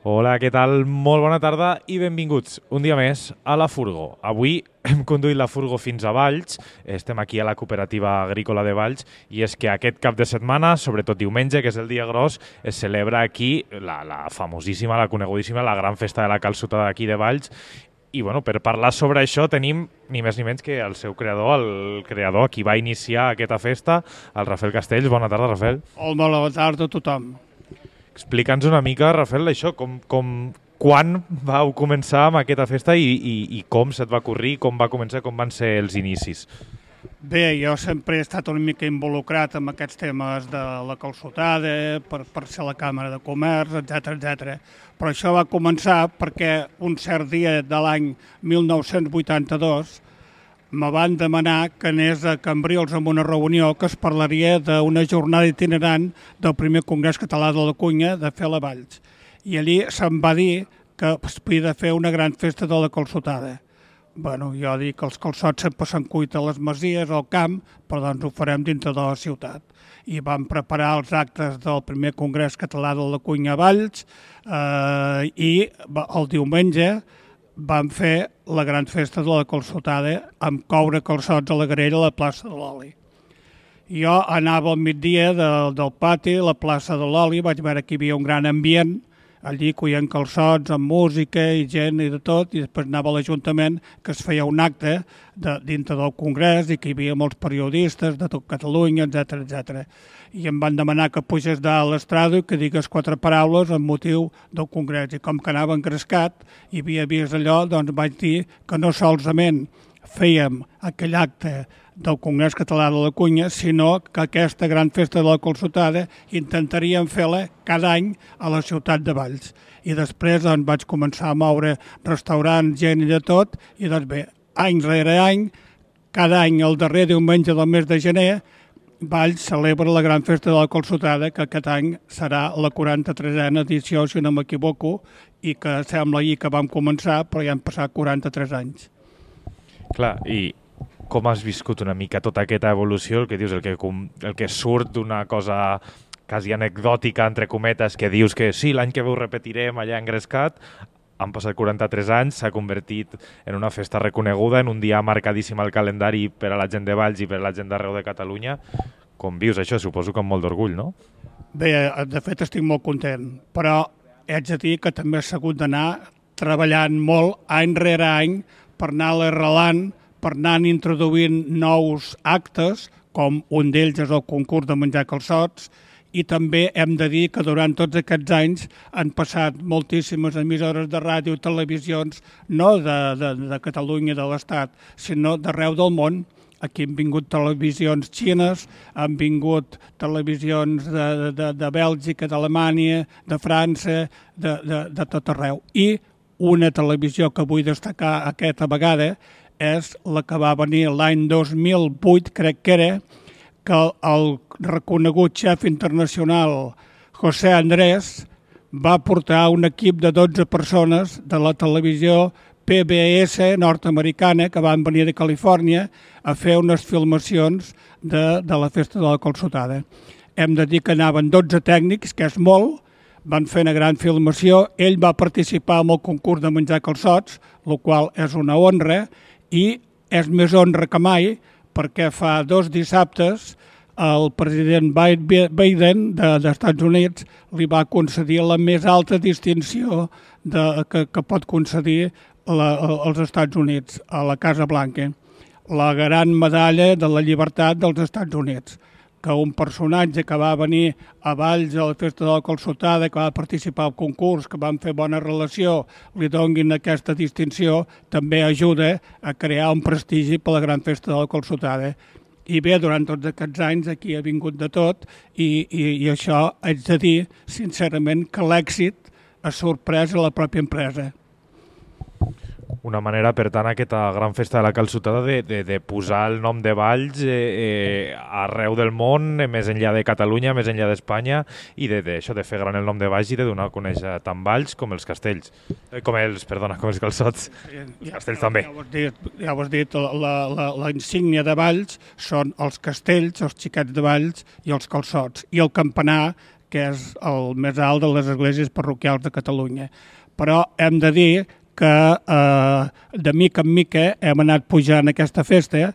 Hola, què tal? Molt bona tarda i benvinguts un dia més a la Furgo. Avui hem conduït la Furgo fins a Valls, estem aquí a la cooperativa agrícola de Valls i és que aquest cap de setmana, sobretot diumenge, que és el dia gros, es celebra aquí la famosíssima, la conegudíssima, la gran festa de la calçotada d'aquí de Valls. I bueno, per parlar sobre això tenim ni més ni menys que el seu creador, el creador qui va iniciar aquesta festa, el Rafael Castells. Bona tarda, Rafael. Hola, bona tarda a tothom. Explica'ns una mica, Rafael, això, quan vau començar amb aquesta festa i com se't va ocorrir, com va començar, com van ser els inicis? Bé, jo sempre he estat una mica involucrat amb aquests temes de la calçotada, per ser a la Càmera de Comerç, etc. Però això va començar perquè un cert dia de l'any 1982 me van demanar que anés a Cambrils amb una reunió que es parlaria d'una jornada itinerant del primer Congrés Català de la Cunya de fer a Valls. I allí se'm va dir que es podia fer una gran festa de la calçotada. Bueno, jo dic que els calçots sempre s'han cuit a les masies, al camp, però doncs ho farem dintre de la ciutat. I vam preparar els actes del primer Congrés Català de la Cunya a Valls i el diumenge vam fer la gran festa de la calçotada amb coure calçots a la Garella a la plaça de l'Oli. Jo anava al migdia del pati, a la plaça de l'Oli, vaig veure que hi havia un gran ambient, allí coient calçots amb música i gent i de tot, i després anava a l'Ajuntament que es feia un acte dintre del Congrés i que hi havia molts periodistes de tot Catalunya, etc. I em van demanar que pugés dalt a l'estrada i que digués 4 paraules amb motiu del Congrés. I com que anava engrescat i havia vist allò, doncs vaig dir que no solament fèiem aquell acte del Congrés Català de la Cunya, sinó que aquesta gran festa de la calçotada intentaríem fer-la cada any a la ciutat de Valls. I després doncs, vaig començar a moure restaurants, gent i de tot, i doncs bé, any rere any, cada any el darrer diumenge del mes de gener, Valls celebra la gran festa de la calçotada, que aquest any serà la 43a edició, si no m'equivoco, i que sembla ahir que vam començar, però ja han passat 43 anys. Clar, i com has viscut una mica tota aquesta evolució, el que dius, el que surt d'una cosa quasi anecdòtica, entre cometes, que dius que sí, l'any que ve ho repetirem allà engrescat, han passat 43 anys, s'ha convertit en una festa reconeguda, en un dia marcadíssim al calendari per a la gent de Valls i per a la gent d'arreu de Catalunya. Com vius això? Suposo que amb molt d'orgull, no? Bé, de fet estic molt content, però haig de dir que també he hagut d'anar treballant molt any rere any per anar-la arrelant, per anar introduint nous actes, com un d'ells és el concurs de menjar calçots, i també hem de dir que durant tots aquests anys han passat moltíssimes emissores de ràdio i televisions, no de Catalunya i de l'Estat, sinó d'arreu del món. Aquí han vingut televisions xines, han vingut televisions de Bèlgica, d'Alemanya, de França, de tot arreu. I una televisió que vull destacar aquesta vegada és la que va venir l'any 2008, crec que era, que el reconegut xef internacional José Andrés va portar un equip de 12 persones de la televisió PBS nord-americana que van venir de Califòrnia a fer unes filmacions de la festa de la calçotada. Hem de dir que anaven 12 tècnics, que és molt, van fer una gran filmació, ell va participar en el concurs de menjar calçots, el qual és una honra, i és més honra que mai, perquè fa 2 dissabtes el president Biden dels Estats Units li va concedir la més alta distinció que pot concedir als Estats Units, a la Casa Blanca, la gran medalla de la llibertat dels Estats Units. Que un personatge que va venir a Valls a la festa de la calçotada, que va participar al concurs, que van fer bona relació, li donguin aquesta distinció, també ajuda a crear un prestigi per a la gran festa de la calçotada. I bé, durant tots aquests anys aquí ha vingut de tot i això haig de dir, sincerament, que l'èxit ha sorprès a la pròpia empresa. Una manera, per tant, aquesta gran festa de la calçotada de posar el nom de Valls arreu del món, més enllà de Catalunya, més enllà d'Espanya, i de fer gran el nom de Valls i de donar a conèixer tant Valls com els castells. Com els calçots. Els castells també. Ja ho has dit, la insígnia de Valls són els castells, els xiquets de Valls i els calçots. I el campanar, que és el més alt de les esglésies parroquials de Catalunya. Però hem de dir que de mica en mica hem anat pujant aquesta festa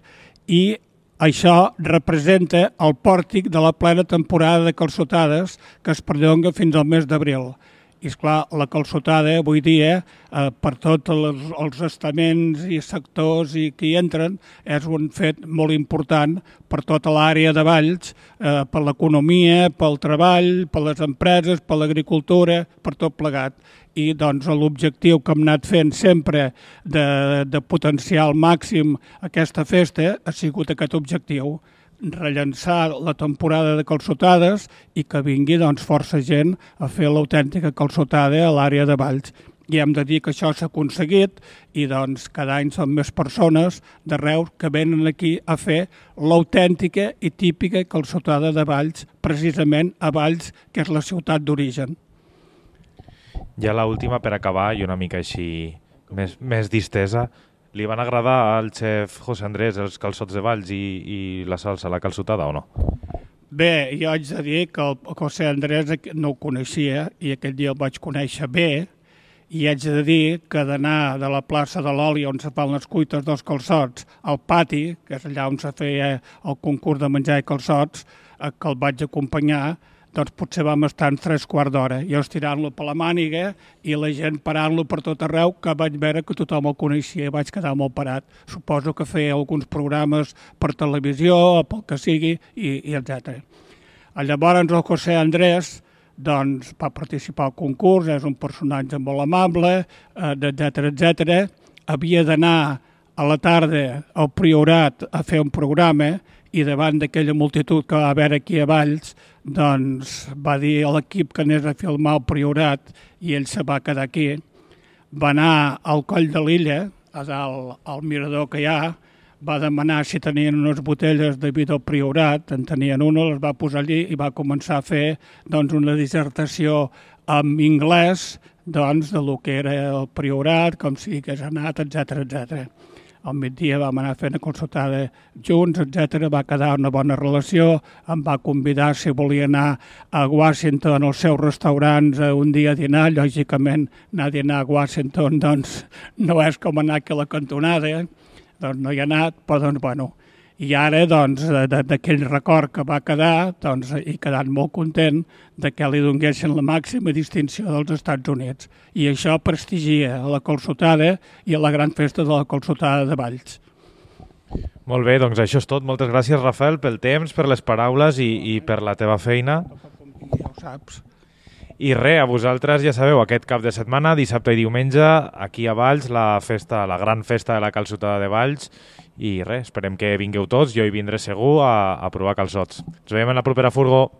i això representa el pòrtic de la plena temporada de calçotades que es perllonga fins al mes d'abril. I, esclar, la calçotada avui dia, per tots els estaments i sectors que hi entren, és un fet molt important per tota l'àrea de Valls, per l'economia, pel treball, per les empreses, per l'agricultura, per tot plegat. I doncs l'objectiu que hem anat fent sempre de potenciar al màxim aquesta festa ha sigut aquest objectiu, rellençar la temporada de calçotades i que vingui doncs, força gent a fer l'autèntica calçotada a l'àrea de Valls. I hem de dir que això s'ha aconseguit i doncs, cada any són més persones d'arreu que venen aquí a fer l'autèntica i típica calçotada de Valls, precisament a Valls, que és la ciutat d'origen. Ja l'última per acabar i una mica així més distesa. Li van agradar al xef José Andrés els calçots de Valls i la salsa, la calçotada, o no? Bé, jo haig de dir que el José Andrés no ho coneixia i aquell dia el vaig conèixer bé i haig de dir que d'anar de la plaça de l'Oli on se fan les cuites dels calçots al pati, que és allà on se feia el concurs de menjar i calçots, que el vaig acompanyar, doncs potser vam estar en 3/4 d'hora, jo estirant-lo per la màniga i la gent parant-lo per tot arreu, que vaig veure que tothom el coneixia i vaig quedar molt parat. Suposo que feia alguns programes per televisió o pel que sigui, i etc. Llavors el José Andrés doncs, va participar al concurs, és un personatge molt amable, etc. Havia d'anar a la tarda al Priorat a fer un programa i davant d'aquella multitud que va haver aquí a Valls, doncs va dir a l'equip que anés a filmar el Priorat i ell se va quedar aquí. Va anar al Coll de l'Illa, a dalt al mirador que hi ha, va demanar si tenien unes botelles de vi del Priorat, en tenien una, les va posar allí i va començar a fer doncs, una dissertació en anglès doncs, de lo que era el Priorat, com si hagués anat, etc. Al migdia vam anar fent una consultada junts, etc. Va quedar una bona relació, em va convidar si volia anar a Washington als seus restaurants un dia a dinar. Lògicament, anar a dinar a Washington doncs, no és com anar aquí a la cantonada, doncs no hi ha anat, però doncs, bueno. I ara, doncs, d'aquell record que va quedar, doncs, he quedat molt content de que li donguessin la màxima distinció dels Estats Units. I això prestigia a la calçotada i a la gran festa de la calçotada de Valls. Molt bé, doncs això és tot. Moltes gràcies, Rafael, pel temps, per les paraules i per la teva feina. Ja ho saps. I res, a vosaltres ja sabeu, aquest cap de setmana, dissabte i diumenge, aquí a Valls, la gran festa de la calçotada de Valls. I res, esperem que vingueu tots, jo hi vindré segur a provar calçots. Ens veiem en la propera furgo.